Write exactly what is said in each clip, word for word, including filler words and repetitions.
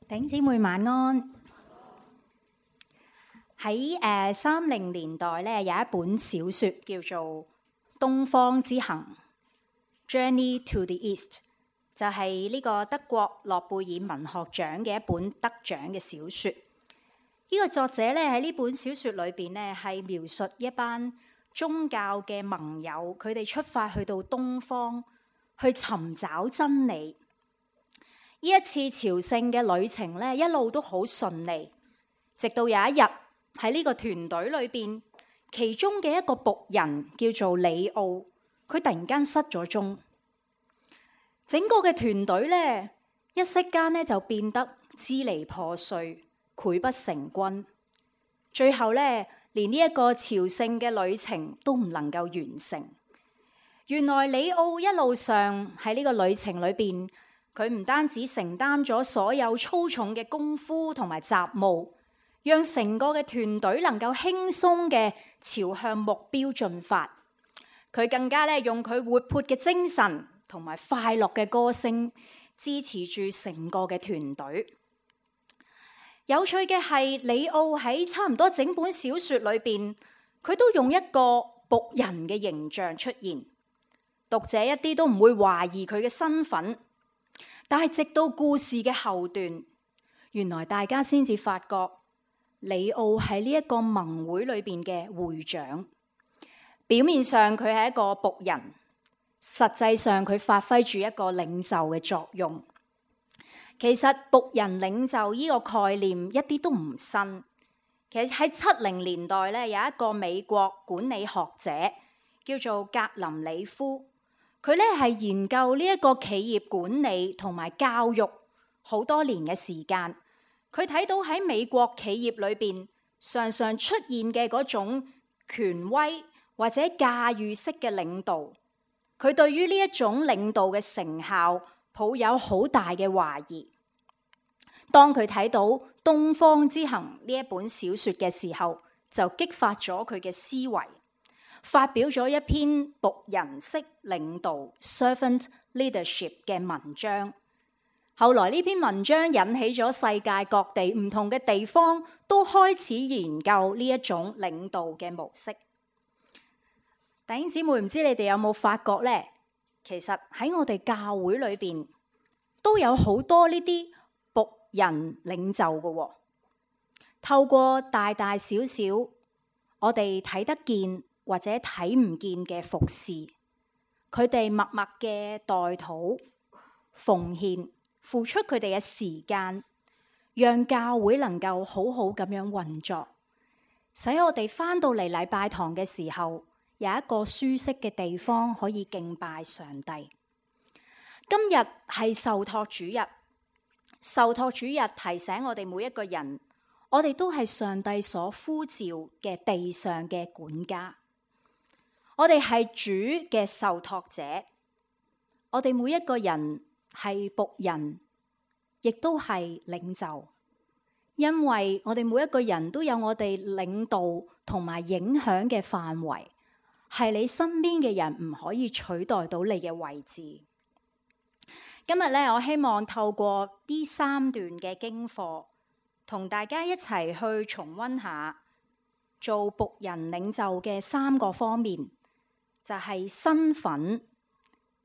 弟兄姊妹晚安。喺誒三零年代咧，有一本小説叫做《東方之行》（Journey to the East），就係呢個德國諾貝爾文學獎嘅一本得獎嘅小説。呢、這個作者咧喺呢本小説裏邊咧，係描述一班宗教嘅盟友，佢哋出發去到東方去尋找真理。呢一次朝聖嘅旅程咧，一路都好順利，直到有一日喺呢個團隊裏邊，其中嘅一個僕人叫做里奧，佢突然間失咗蹤。整個嘅團隊咧，一息間咧就變得支離破碎，潰不成軍。最後咧，連呢一個朝聖嘅旅程都唔能夠完成。原來里奧一路上喺呢個旅程裏邊，佢唔單止承擔咗所有粗重嘅功夫同埋雜務，讓成個嘅團隊能夠輕鬆嘅朝向目標進發。佢更加咧用佢活潑嘅精神同埋快樂嘅歌聲支持住成個嘅團隊。有趣嘅係，里奧喺差唔多整本小説裏邊，佢都用一個僕人嘅形象出現，讀者一啲都唔會懷疑佢嘅身份。但係直到故事嘅後段，原來大家先至發覺里奧係呢一個盟會裏邊嘅會長。表面上佢係一個僕人，實際上佢發揮住一個領袖嘅作用。其實僕人領袖呢個概念一啲都唔新。其實喺七零年代咧，有一個美國管理學者叫做格林里夫。佢咧係研究呢一個企業管理同埋教育好多年嘅時間，佢睇到喺美國企業裏邊常常出現嘅嗰種權威或者駕馭式嘅領導，佢對於呢一種領導嘅成效抱有好大嘅懷疑。當佢睇到《東方之行》呢一本小説嘅時候，就激發咗佢嘅思維。發表咗一篇僕人式領導 （servant leadership） 嘅文章。後來呢篇文章引起咗世界各地唔同嘅地方都開始研究呢一種領導嘅模式。弟兄姊妹，唔知你哋有冇發覺呢？其實喺我哋教會裏邊都有好多呢啲僕人領袖嘅喎。透過大大小小我哋睇得見或者睇唔見嘅服侍，佢哋默默嘅代禱、奉獻、付出佢哋嘅時間，讓教會能夠好好咁樣運作，使我哋返到嚟禮拜堂嘅時候，有一個舒適嘅地方可以敬拜上帝。今日係受託主日，受託主日提醒我哋每一個人，我哋都係上帝所呼召嘅地上嘅管家。我哋係主嘅受託者，我哋每一個人係僕人，亦都係領袖，因為我哋每一個人都有我哋領導同埋影響嘅範圍，係你身邊嘅人唔可以取代到你嘅位置。今日咧，我希望透過呢三段嘅經課，同大家一齊去重溫下做僕人領袖嘅三個方面。就係身份、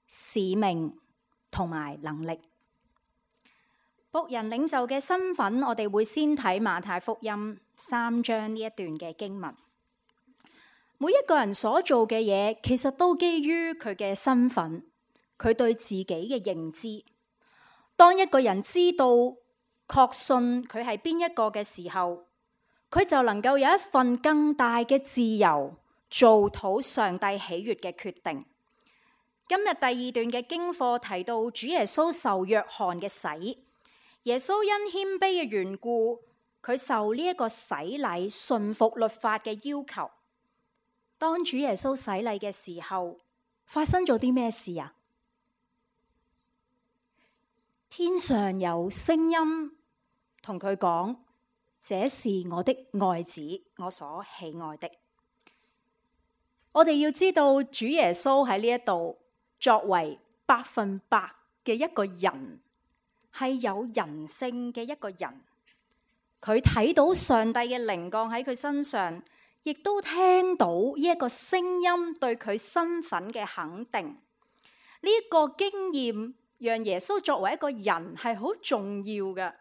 使命同埋能力。僕人領袖嘅身份，我哋會先睇馬太福音三章呢一段嘅經文。每一個人所做嘅嘢，其實都基於佢嘅身份，佢對自己嘅認知。當一個人知道、確信佢係邊一個嘅時候，佢就能夠有一份更大嘅自由，做討上帝喜悅嘅決定。今日第二段嘅經課提到主耶穌受約翰嘅洗，耶穌因謙卑嘅緣故，佢受呢一個洗禮，順服律法嘅要求。當主耶穌洗禮嘅時候，發生咗啲咩事啊？天上有聲音同佢講：這是我的愛子，我所喜愛的。我哋要知道主耶穌喺呢一度作為百分百嘅一個人，係有人性嘅一個人。佢睇到上帝嘅靈降喺佢身上，亦都聽到呢一個聲音對佢身份嘅肯定。呢、這、一個經驗讓耶穌作為一個人係好重要嘅，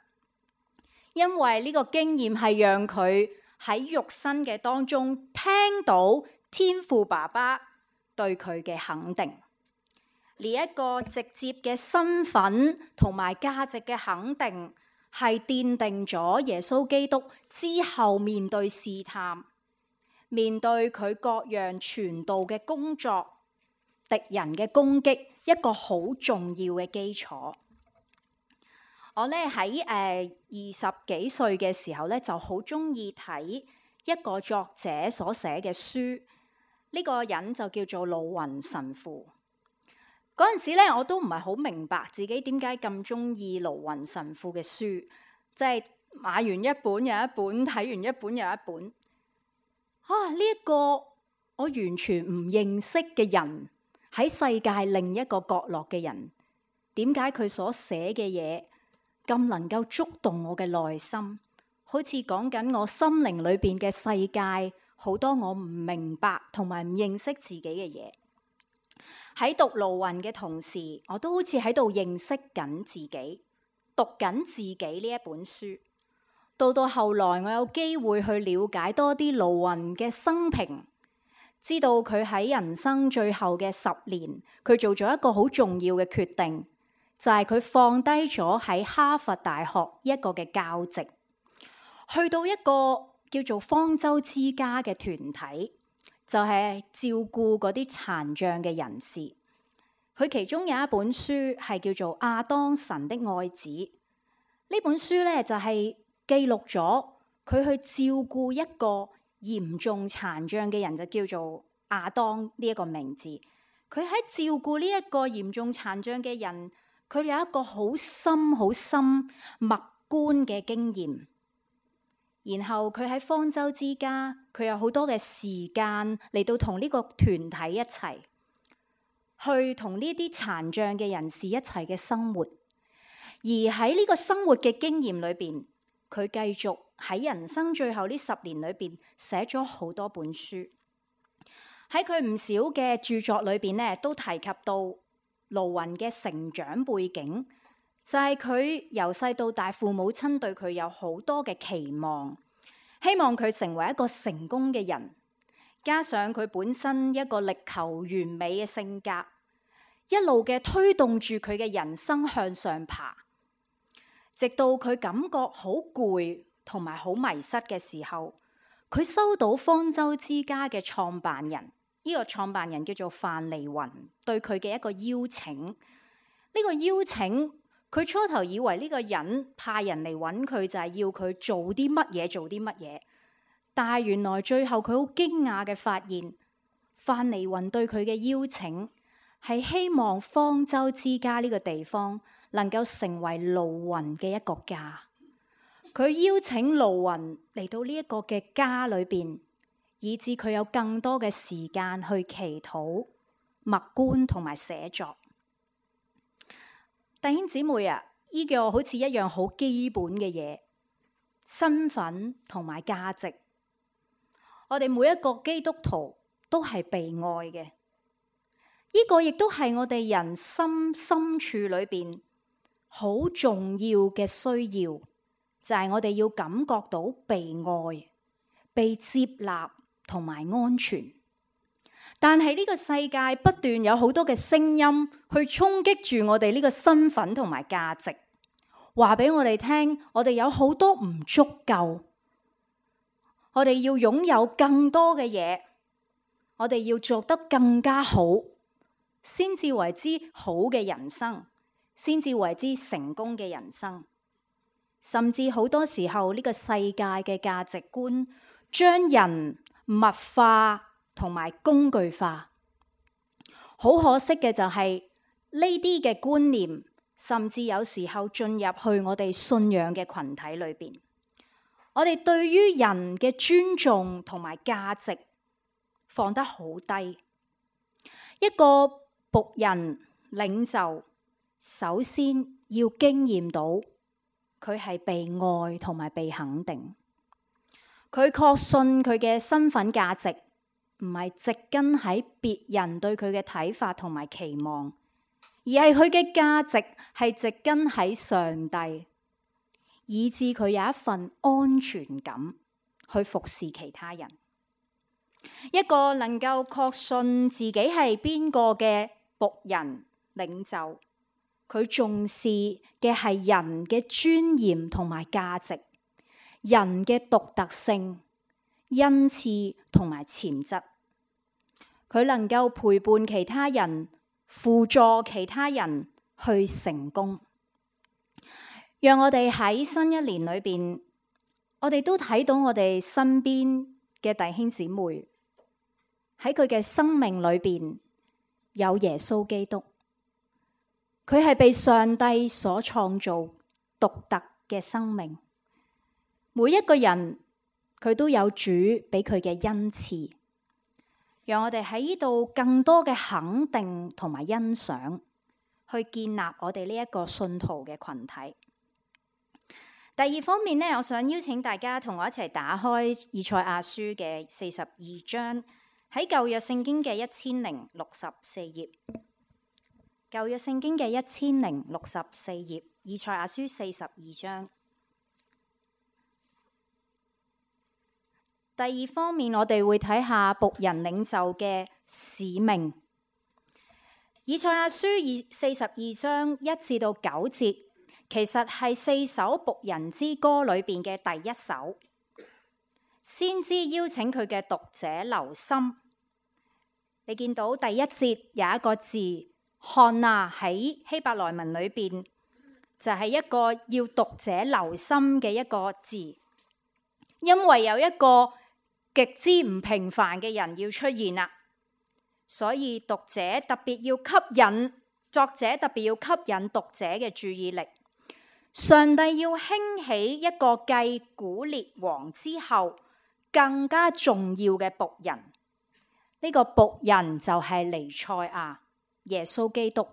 因為呢個經驗係讓佢喺肉身嘅當中聽到天父爸爸對佢嘅肯定。呢、這、一個直接嘅身份同埋價值嘅肯定，係奠定咗耶穌基督之後面對試探、面對佢各樣傳道嘅工作、敵人嘅攻擊一個好重要嘅基礎。我咧喺誒二十幾歲嘅時候咧，就好中意睇一個作者所寫嘅書。呢、這個人就叫做盧雲神父。嗰陣時咧，我都唔係好明白自己點解咁中意盧雲神父嘅書，即係買完一本又一本，睇完一本又一本。啊！呢一個我完全唔認識嘅人，喺世界另一個角落嘅人，點解佢所寫嘅嘢咁能夠觸動我嘅內心？好似講緊我心靈裏邊嘅世界，好多我唔明白同埋唔認識自己嘅嘢。喺讀盧雲嘅同時，我都好似喺度認識緊自己，讀緊自己呢一本書。到到後來，我有機會去了解多啲盧雲嘅生平，知道佢喺人生最後嘅十年，佢做咗一個好重要嘅決定，就係佢放低咗喺哈佛大學一個嘅教職，去到一個叫做方舟之家嘅團體。就係照顧嗰啲殘障嘅人士。佢其中有一本書係叫做《亞當神的愛子》。呢本書咧就係記錄咗佢去照顧一個嚴重殘障嘅人，就叫做亞當呢一個名字。佢喺照顧呢一個嚴重殘障嘅人，佢有一個好深好深默觀嘅經驗。然後佢喺方舟之家，佢有好多嘅時間嚟到同呢個團體一齊去同呢啲殘障嘅人士一齊嘅生活。而喺呢個生活嘅經驗裏邊，佢繼續喺人生最後呢十年裏邊寫咗好多本書。喺佢唔少嘅著作裏邊咧，都提及到盧雲嘅成長背景。就係佢由細到大，父母親對佢有好多嘅期望，希望佢成為一個成功嘅人。加上佢本身一個力求完美嘅性格，一路嘅推動住佢嘅人生向上爬。直到佢感覺好攰同埋好迷失嘅時候，佢收到方舟之家嘅創辦人，呢個創辦人叫做范尼雲，對佢嘅一個邀請。呢個邀請，佢初頭以為呢個人派人嚟揾佢就係要佢做啲乜嘢做啲乜嘢，但係原來最後佢好驚訝嘅發現，范尼雲對佢嘅邀請係希望方舟之家呢個地方能夠成為盧雲嘅一個家。佢邀請盧雲嚟到呢一個嘅家裏邊，以致佢有更多嘅時間去祈禱、默觀同埋寫作。弟兄姊妹啊，呢個好似一樣好基本嘅嘢，身份同埋價值。我哋每一個基督徒都係被愛嘅，呢個亦都係我哋人心深處裏邊好重要嘅需要，就係我哋要感覺到被愛、被接納同埋安全。但係呢個世界不斷有好多嘅聲音去衝擊住我哋呢個身份同埋價值，話俾我哋聽，我哋有好多唔足夠，我哋要擁有更多嘅嘢，我哋要做得更加好，先至為之好嘅人生，先至為之成功嘅人生。甚至好多時候呢個世界嘅價值觀將人物化同埋工具化，好可惜嘅就係呢啲嘅觀念，甚至有時候進入去我哋信仰嘅群體裏邊，我哋對於人嘅尊重同埋價值放得好低。一個僕人領袖，首先要經驗到佢係被愛同埋被肯定。佢確信佢嘅身份價值唔係植根喺別人對佢嘅睇法同埋期望，而係佢嘅價值係植根喺上帝，以致佢有一份安全感去服侍其他人。一個能夠確信自己係邊個嘅僕人領袖，佢重視嘅係人嘅尊嚴同埋價值，人嘅獨特性、恩賜同埋潛質。佢能夠陪伴其他人，輔助其他人去成功。讓我哋喺新一年裏邊，我哋都睇到我哋身邊嘅弟兄姊妹喺佢嘅生命裏邊有耶穌基督，佢係被上帝所創造獨特嘅生命。每一個人佢都有主俾佢嘅恩賜，讓我哋喺呢度更多嘅肯定同埋欣賞，去建立我哋呢一個信徒嘅群體。第二方面呢，我想邀請大家同我一齊打開以賽亞書嘅四十二章，喺舊約聖經嘅一千零六十四頁。舊約聖經嘅一千零六十四頁，以賽亞書四十二章。第二方面，我哋會睇下僕人領袖嘅使命。以賽亞書二四十二章一至到九節，其實係四首僕人之歌裏邊嘅第一首。先知邀請佢嘅讀者留心。你見到第一節有一個字看啊，喺希伯來文裏邊就係一個要讀者留心嘅一個字，因為有一個極之唔平凡嘅人要出現啦，所以讀者特別要吸引，作者特別要吸引讀者嘅注意力。上帝要興起一個繼古列王之後更加重要嘅僕人，呢、這個僕人就係彌賽亞耶穌基督，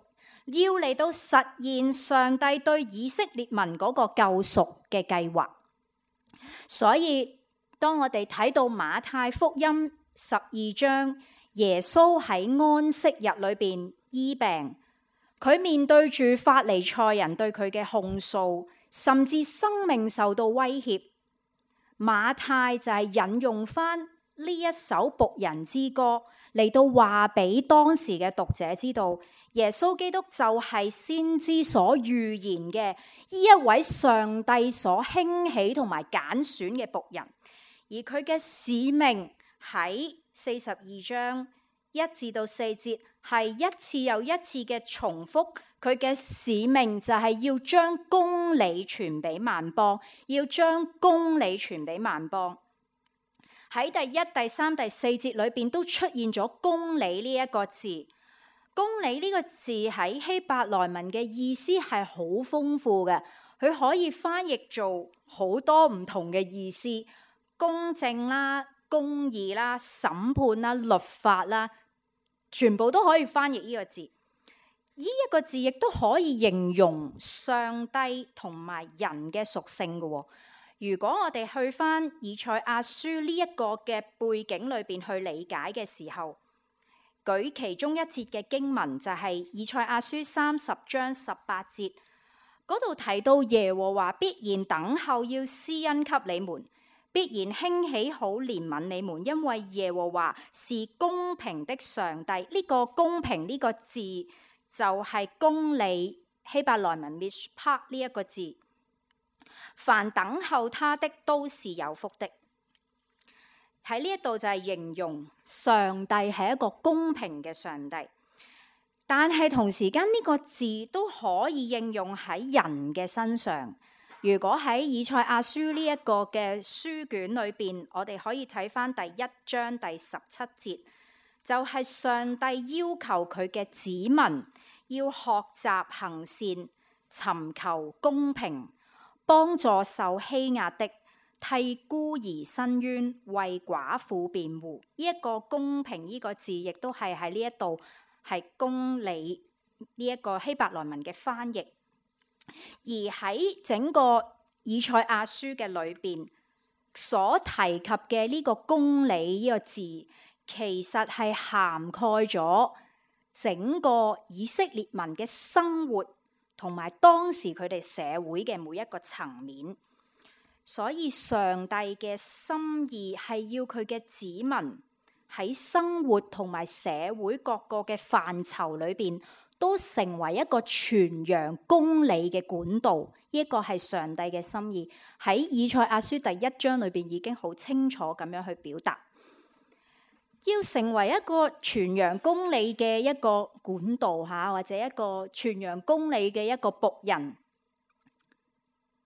要嚟到實現上帝對以色列民嗰個救贖嘅計劃。所以當我哋睇到馬太福音十二章，耶穌喺安息日裏邊醫病，佢面對住法利賽人對佢嘅控訴，甚至生命受到威脅。馬太就係引用翻呢一首僕人之歌嚟到話俾當時嘅讀者知道，耶穌基督就係先知所預言嘅呢一位上帝所興起同埋揀選嘅僕人。而佢嘅使命喺四十二章一至到四節係一次又一次嘅重複，佢嘅使命就係要將公理傳俾萬邦，要將公理傳俾萬邦。喺第一、第三、第四節裏邊都出現咗公理呢一個字。公理呢個字喺希伯來文嘅意思係好豐富嘅，佢可以翻譯做好多唔同嘅意思。公正啦、公義啦、審判啦、律法啦，全部都可以翻譯呢個字。呢一個字亦都可以形容上帝同埋人嘅屬性嘅。如果我哋去翻以賽亞書呢一個嘅背景裏邊去理解嘅時候，舉其中一節嘅經文就係以賽亞書三十章十八節，嗰度提到耶和華必然等候要施恩給你們，必然興起好憐憫你們，因為耶和華是公平的上帝。呢個公平呢個字就係公理，希伯來文 mishpat 呢一個字。凡等候他的都是有福的。喺呢一度就係形容上帝係一個公平嘅上帝，但係同時間呢個字都可以應用喺人嘅身上。如果喺以賽亞書呢一個嘅書卷裏邊，我哋可以睇翻第一章第十七節，就係上帝要求佢嘅子民要學習行善，尋求公平，幫助受欺壓的，替孤兒伸冤，為寡婦辯護。呢一個公平呢個字，亦都係喺呢一度係公理呢一個希伯來文嘅翻譯。而喺整個以賽亞書嘅裏邊所提及嘅呢個公理呢個字，其實係涵蓋咗整個以色列民嘅生活同埋當時佢哋社會嘅每一個層面。所以上帝嘅心意係要佢嘅子民喺生活同埋社會各個嘅範疇裏邊，都成為一個傳揚公理嘅管道。呢個係上帝嘅心意，喺以賽亞書第一章裏邊已經好清楚咁樣去表達。要成為一個傳揚公理嘅一個管道嚇，或者一個傳揚公理嘅一個僕人，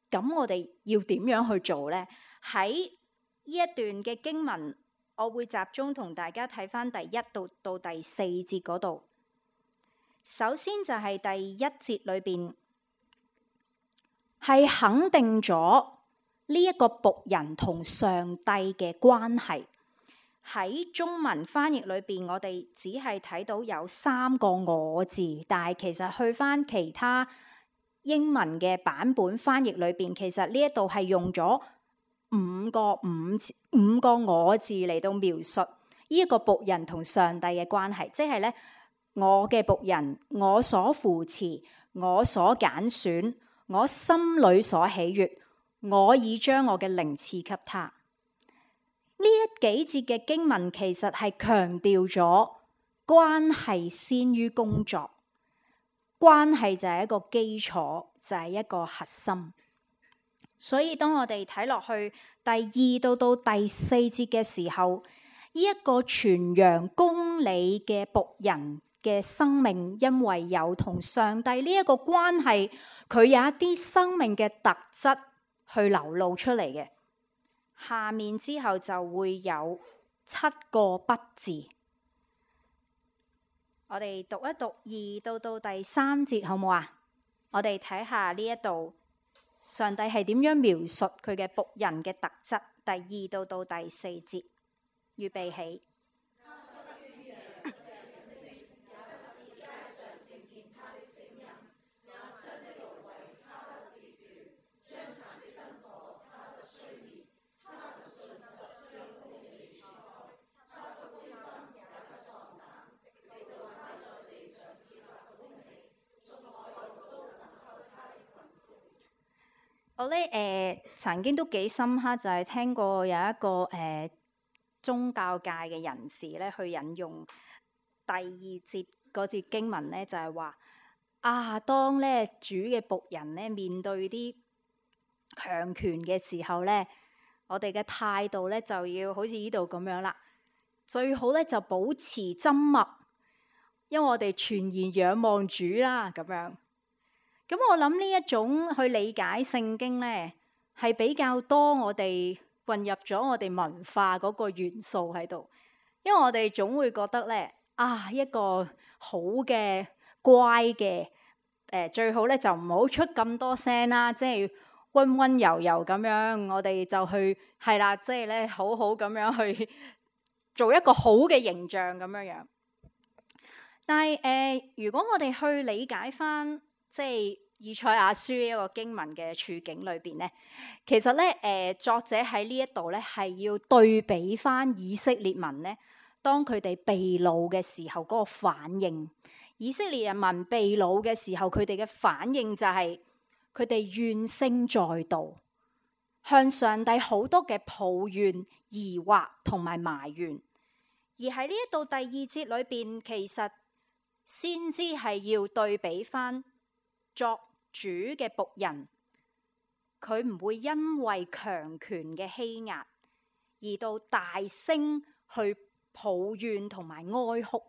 咁我哋要點樣去做呢？喺呢一段嘅經文，我會集中同大家睇返第一到到第四節嗰度。首先就係第一節裏邊，係肯定咗呢一個僕人同上帝嘅關係。喺中文翻譯裏邊，我哋只係睇到有三個我字，但係其實去返其他英文嘅版本翻譯裏邊，其實呢一度係用咗五個五五個我字嚟到描述呢一個僕人同上帝嘅關係，即係咧，我嘅僕人，我所扶持，我所揀選，我心裏所喜悅，我已將我嘅靈賜給他。呢一幾節嘅經文其實係強調咗關係先於工作，關係就係一個基礎，就係一個核心。所以當我哋睇落去第二到到第四節嘅時候，呢一個傳揚公理嘅僕人嘅生命，因為有同上帝呢一個關係，佢有一啲生命嘅特質去流露出嚟嘅。下面之後就會有七個不字，我哋讀一讀二到到第三節好唔好啊？我哋睇下呢一度上帝係點樣描述佢嘅僕人嘅特質。第二到到第四節，預備起。我咧誒、呃、曾經都幾深刻，就係、是、聽過有一個誒、呃、宗教界嘅人士咧，去引用第二節嗰節經文咧，就係、是、話啊，當咧主嘅僕人咧面對啲強權嘅時候咧，我哋嘅態度咧就要好似呢度咁樣啦，最好咧就保持緘默，因為我哋全然仰望主啦咁樣。咁我諗呢一種去理解聖經呢，係比較多我哋混入咗我哋文化嗰個元素喺度，因為我哋總會覺得呢，啊一個好嘅乖嘅誒、呃、最好咧就唔好出咁多聲啦，即係溫溫柔柔咁樣，我哋就去係啦，即係咧好好咁樣去做一個好嘅形象咁樣樣。但係誒、呃，如果我哋去理解翻，即係以賽亞書一個經文嘅處境裏邊咧，其實咧誒、呃、作者喺呢一度咧係要對比翻以色列民咧，當佢哋被擄嘅時候嗰個反應。以色列人民被擄嘅時候，佢哋嘅反應就係佢哋怨聲載道，向上帝好多嘅抱怨、疑惑同埋埋怨。而喺呢一度第二節裏邊，其實先知係要對比翻作主嘅僕人，佢唔會因為強權嘅欺壓而到大聲去抱怨同埋哀哭。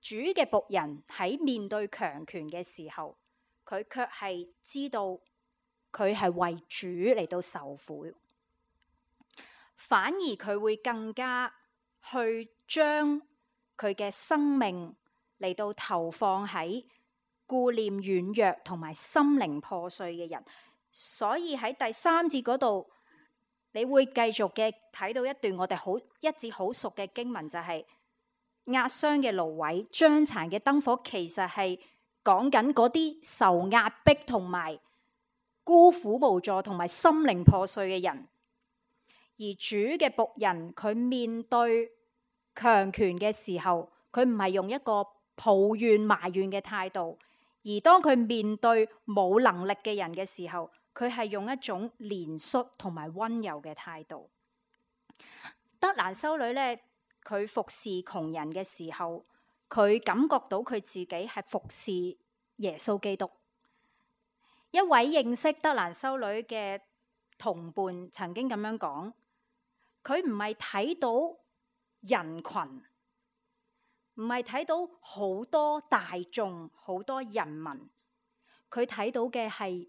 主嘅僕人喺面對強權嘅時候，佢卻係知道佢係為主嚟到受苦，反而佢會更加去將佢嘅生命嚟到投放喺顧念軟弱同埋心靈破碎嘅人。所以喺第三節嗰度，你會繼續嘅睇到一段我哋好一節好熟嘅經文，就係壓傷嘅蘆葦、將殘嘅燈火，其實係講緊嗰啲受壓迫同埋孤苦無助同埋心靈破碎嘅人。而主嘅僕人佢面對強權嘅時候，佢唔係用一個抱怨埋怨嘅態度，而當佢面對冇能力嘅人嘅時候，佢係用一種憐恤同埋溫柔嘅態度。德蘭修女呢，佢服侍窮人嘅時候，佢感覺到佢自己係服侍耶穌基督。一位認識德蘭修女嘅同伴曾經咁樣講，佢唔係睇到人群，唔係睇到好多大眾、好多人民，佢睇到嘅係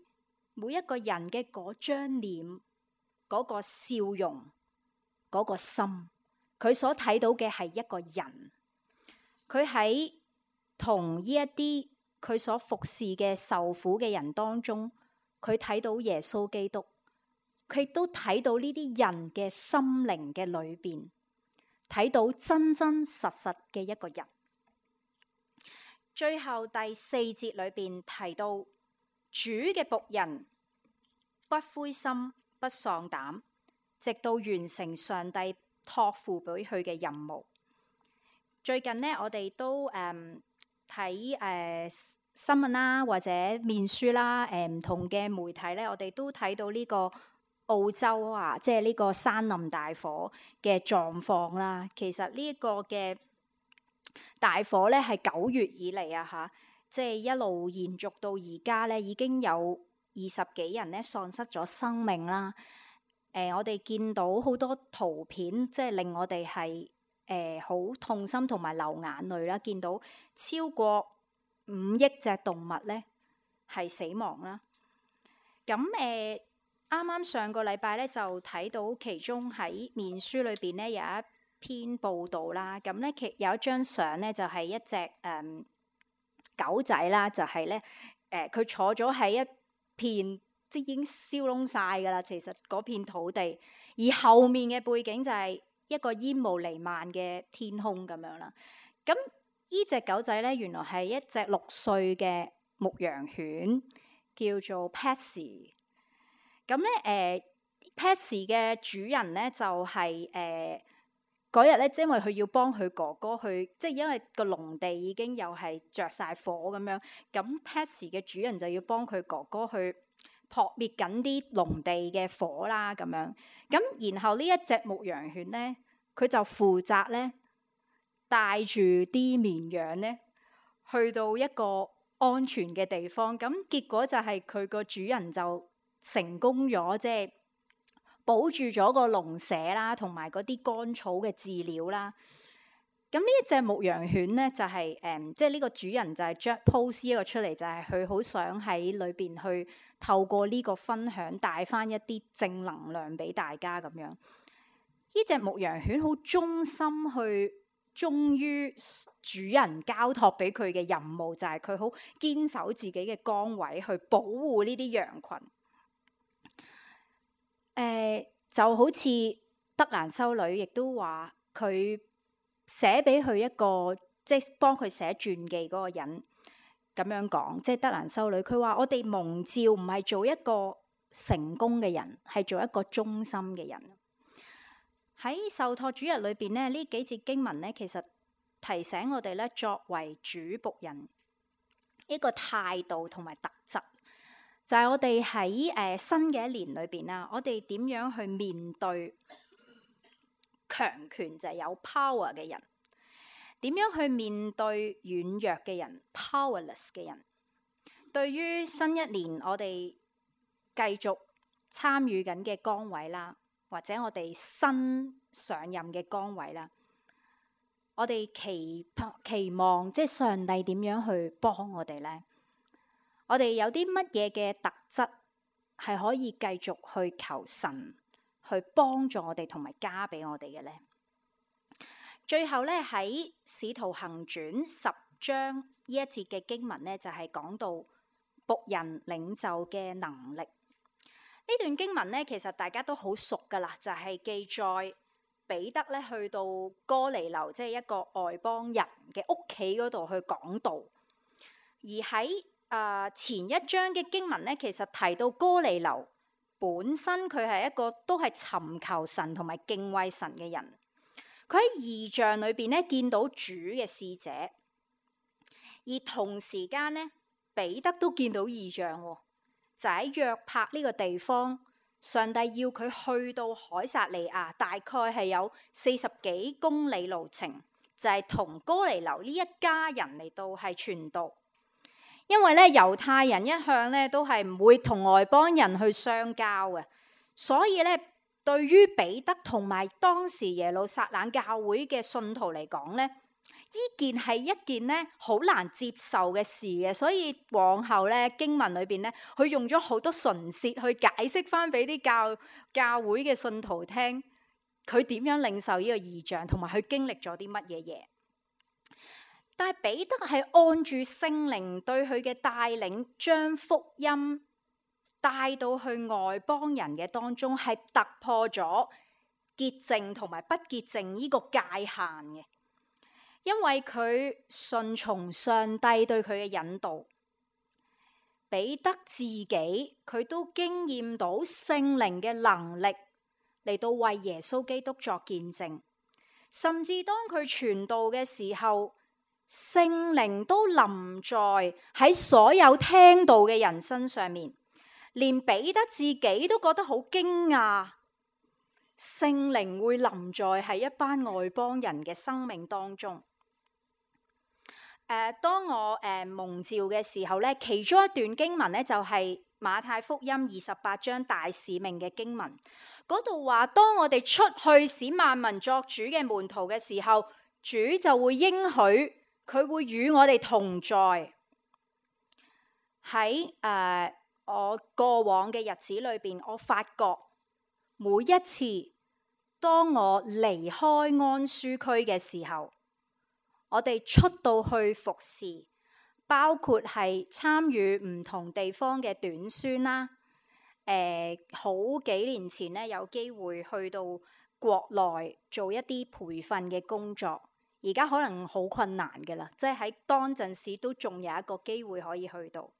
每一個人嘅嗰張臉、嗰個笑容、嗰個心。佢所睇到嘅係一個人，佢喺同呢一啲佢所服侍嘅受苦嘅人當中，佢睇到耶穌基督，佢亦都睇到呢啲人嘅心靈嘅裏邊，睇到真真實實嘅一個人。最後第四節裏邊提到，主嘅僕人不灰心不喪膽，直到完成上帝託付俾佢嘅任務。最近呢，我哋都誒睇誒新聞啦，或者面書啦，誒唔同嘅媒體呢，我哋都睇到呢個澳洲啊，即係呢個山林大火嘅狀況啦。其實呢一個嘅大火呢，係九月以嚟啊嚇，即係一路延續到而家呢，已經有二十幾人呢喪失咗生命啦。誒、呃，我哋見到好多圖片，即係令我哋係誒好痛心同埋流眼淚啦。見到超過五億隻動物咧係死亡啦。咁誒啱啱上個禮拜咧就睇到其中喺面書裏邊咧有一篇報道啦。咁咧其有一張相咧就係、是、一隻誒、嗯、狗仔啦，就係咧誒佢坐咗喺一片。即已經燒燶晒噶啦，其實嗰片土地，而後面嘅背景就係一個煙霧瀰漫嘅天空咁樣啦。咁呢隻狗仔咧，原來係一隻六歲嘅牧羊犬，叫做 Patsy。咁咧，誒 Patsy 嘅主人咧就係誒嗰日咧，因為佢要幫佢哥哥去，即係因為個農地已經又係着晒火咁樣，咁 Patsy 嘅主人就要幫佢哥哥去撲滅緊啲農地嘅火啦，咁樣咁，然後呢一隻牧羊犬咧，佢就負責咧帶住啲綿羊咧去到一個安全嘅地方。咁結果就係佢個主人就成功咗，即係保住咗個農舍啦，同埋嗰啲乾草嘅飼料啦。咁呢一隻牧羊犬咧，就係、是、誒、嗯，即係呢個主人就係將 post 一個出嚟，就係佢好想喺裏邊去透過呢個分享帶翻一啲正能量俾大家咁樣。呢隻牧羊犬好忠心去忠於主人交託俾佢嘅任務，就係佢好堅守自己嘅崗位去保護呢啲羊群。誒、呃，就好似德蘭修女亦都話佢。寫俾佢一個即係幫佢寫傳記嗰個人咁樣講，即係德蘭修女。佢話：我哋蒙召唔係做一個成功嘅人，係做一個忠心嘅人。喺受託主日裏邊咧，呢幾節經文咧，其實提醒我哋咧，作為主僕人一個態度同埋特質，就係、是、我哋喺誒新嘅一年裏邊啦，我哋點樣去面對強權，就係有 power 嘅人，點樣去面對軟弱嘅人 powerless 嘅人。對於新一年我哋繼續參與緊嘅崗位啦，或者我哋新上任嘅崗位啦，我哋期期望即係上帝點樣去幫我哋呢？我哋有啲乜嘢嘅特質係可以繼續去求神去幫助我哋同埋加俾我哋嘅呢？最後咧喺使徒行傳十章呢一節嘅經文咧，就係、是、講到僕人領袖嘅能力。呢段經文咧，其實大家都好熟噶啦，就係、是、記載彼得咧去到哥尼流，即係一個外邦人嘅屋企嗰度去講道。而喺誒、呃、前一章嘅經文咧，其實提到哥尼流本身佢係一個都係尋求神同埋敬畏神嘅人。佢喺異象裏邊咧見到主嘅使者，而同時間咧彼得都見到異象，就喺約帕呢個地方，上帝要佢去到凱撒利亞，大概係有四十幾公里路程，就係、是、同哥尼流呢一家人嚟到係傳道。因為咧猶太人一向咧都係唔會同外邦人去相交嘅，所以咧對於彼得同埋當時耶路撒冷教會嘅信徒嚟講咧，呢件係一件咧好難接受嘅事嘅，所以往後咧經文裏邊咧，佢用咗好多唇舌去解釋翻俾啲教教會嘅信徒聽，佢點樣領受呢個異象，同埋佢經歷咗啲乜嘢嘢。但係彼得係按住聖靈對佢嘅帶領，將福音帶到去外邦人嘅當中，係突破咗潔淨同埋不潔淨呢個界限嘅。因為佢順從上帝對佢嘅引導，彼得自己佢都經驗到聖靈嘅能力嚟到為耶穌基督作見證，甚至當佢傳道嘅時候，聖靈都臨在喺所有聽道嘅人身上面，連彼得自己都覺得好驚訝，聖靈會臨在喺一班外邦人嘅生命當中。誒、呃，當我誒、呃、蒙召嘅時候咧，其中一段經文咧就係、是、馬太福音二十八章大使命嘅經文，嗰度話：當我哋出去使萬民作主嘅門徒嘅時候，主就會應許佢會與我哋同在。喺誒、呃、我過往嘅日子裏邊，我發覺每一次當我離開安舒區嘅時候，我哋出到去服侍，包括係參與唔同地方嘅短宣啦。誒、呃，好幾年前咧，有機會去到國內做一啲培訓嘅工作，而家可能好困難㗎喇，即係喺當陣時都仲有一個機會可以去到。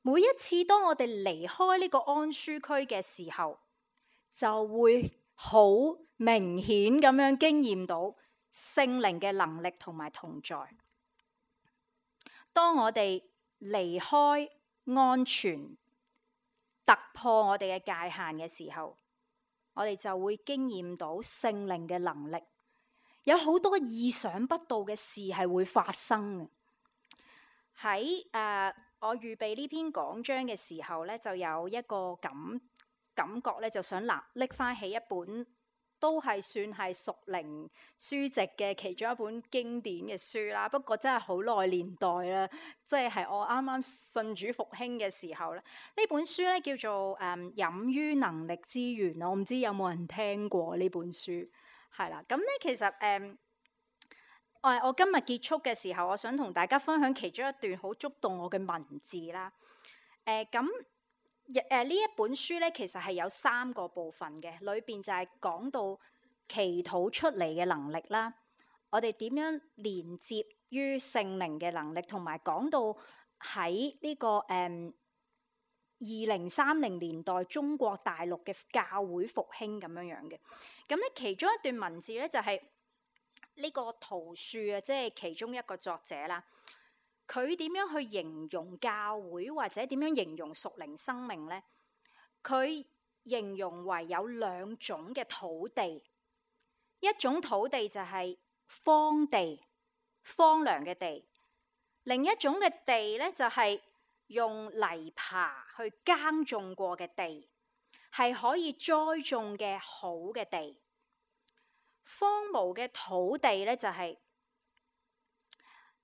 每一次當我哋離開呢個安舒區嘅時候，就會好明顯咁樣經驗到聖靈嘅能力同埋同在。當我哋離開安全，突破我哋嘅界限嘅時候，我哋就會經驗到聖靈嘅能力。有好多意想不到嘅事係會發生嘅。喺誒、呃、我預備呢篇講章嘅時候咧，就有一個感感覺咧，就想拿拎翻起一本都係算係屬靈書籍嘅其中一本經典嘅書啦。不過真係好耐年代啦，即係係我啱啱信主復興嘅時候咧。呢本書咧叫做誒飲於能力之源，我唔知有冇人聽過呢本書。係啦，咁咧其實誒，我、呃、我今日結束嘅時候，我想同大家分享其中一段好觸動我嘅文字啦。誒、呃，咁誒呢一本書咧，其實係有三個部分嘅，裏邊就係講到祈禱出嚟嘅能力啦，我哋點樣連接於聖靈嘅能力，同埋講到喺呢、這個誒二零三零年代中國大陸嘅教會復興咁樣樣嘅。咁咧其中一段文字咧就係、是、呢個陶恕啊，即係其中一個作者啦。佢點樣去形容教會或者點樣形容屬靈生命呢？佢形容為有兩種嘅土地，一種土地就係荒地，荒涼嘅地；另一種嘅地咧就係用泥耙去耕種過嘅地，係可以栽種嘅好嘅地。荒蕪嘅土地咧就係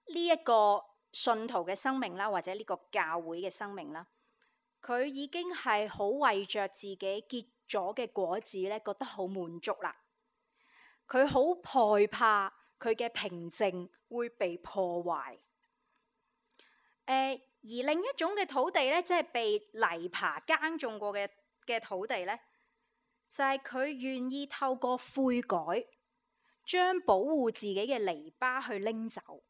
呢一個信徒嘅生命啦，或者呢個教會嘅生命啦，佢已經係好為着自己結咗嘅果子咧，覺得好滿足啦。佢好害怕佢嘅平靜會被破壞。誒、呃，而另一種嘅土地咧，即係被泥耙耕種過嘅嘅土地咧，就係佢願意透過悔改，將保護自己嘅籬笆去拎走。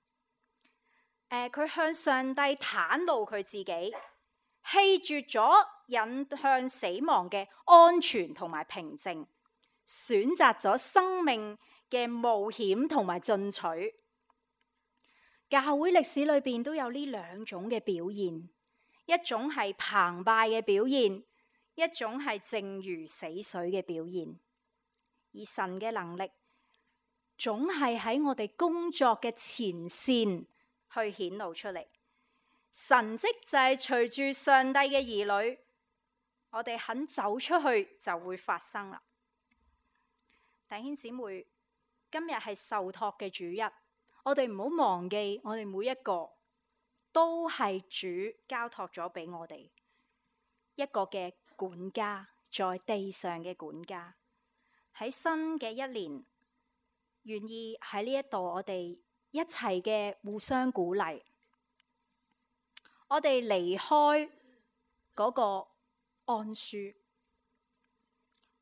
呃、佢向上帝袒露佢自己，棄絕咗引向死亡嘅安全同埋平靜，選擇咗生命嘅冒險同埋進取。教會歷史裏邊都有呢兩種嘅表現，一種係澎湃嘅表現，一種係靜如死水嘅表現。而神嘅能力總係喺我哋工作嘅前線去顯露出嚟。神蹟就係隨住上帝嘅兒女，我哋肯走出去就會發生啦。弟兄姊妹，今日係受託嘅主日，我哋唔好忘記，我哋每一個都係主交託咗俾我哋一個嘅管家，在地上嘅管家。喺新嘅一年，願意喺呢一度，我哋一齊嘅互相鼓勵，我哋離開嗰個安舒，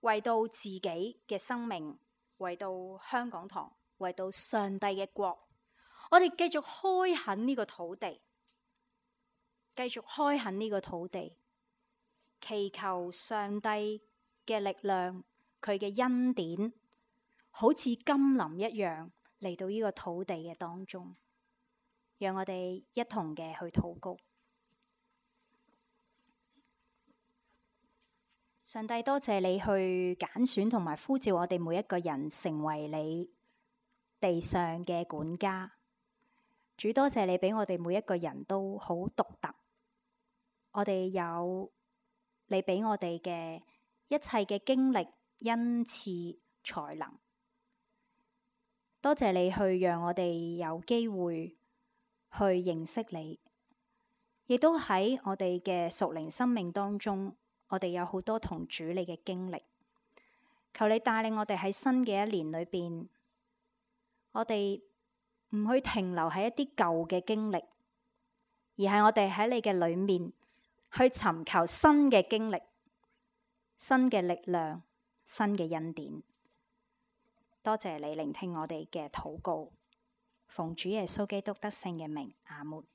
為到自己嘅生命，為到香港堂，為到上帝嘅國，我哋繼續開墾呢個土地，繼續開墾呢個土地，祈求上帝嘅力量，佢嘅恩典，好似甘霖一樣嚟到呢個土地嘅當中，讓我哋一同嘅去禱告。上帝，多謝你去揀選同埋呼召我哋每一個人成為你地上嘅管家。主，多謝你俾我哋每一個人都好獨特，我哋有你俾我哋嘅一切嘅經歷、恩賜、才能。多謝你去讓我哋有機會去認識你，亦都喺我哋嘅屬靈生命當中，我哋有好多同主你嘅經歷。求你帶領我哋喺新嘅一年裏邊，我哋唔去停留喺一啲舊嘅經歷，而係我哋喺你嘅裏面去尋求新嘅經歷、新嘅力量、新嘅恩典。多謝你聆聽我哋嘅禱告，奉主耶穌基督得勝嘅名，阿門。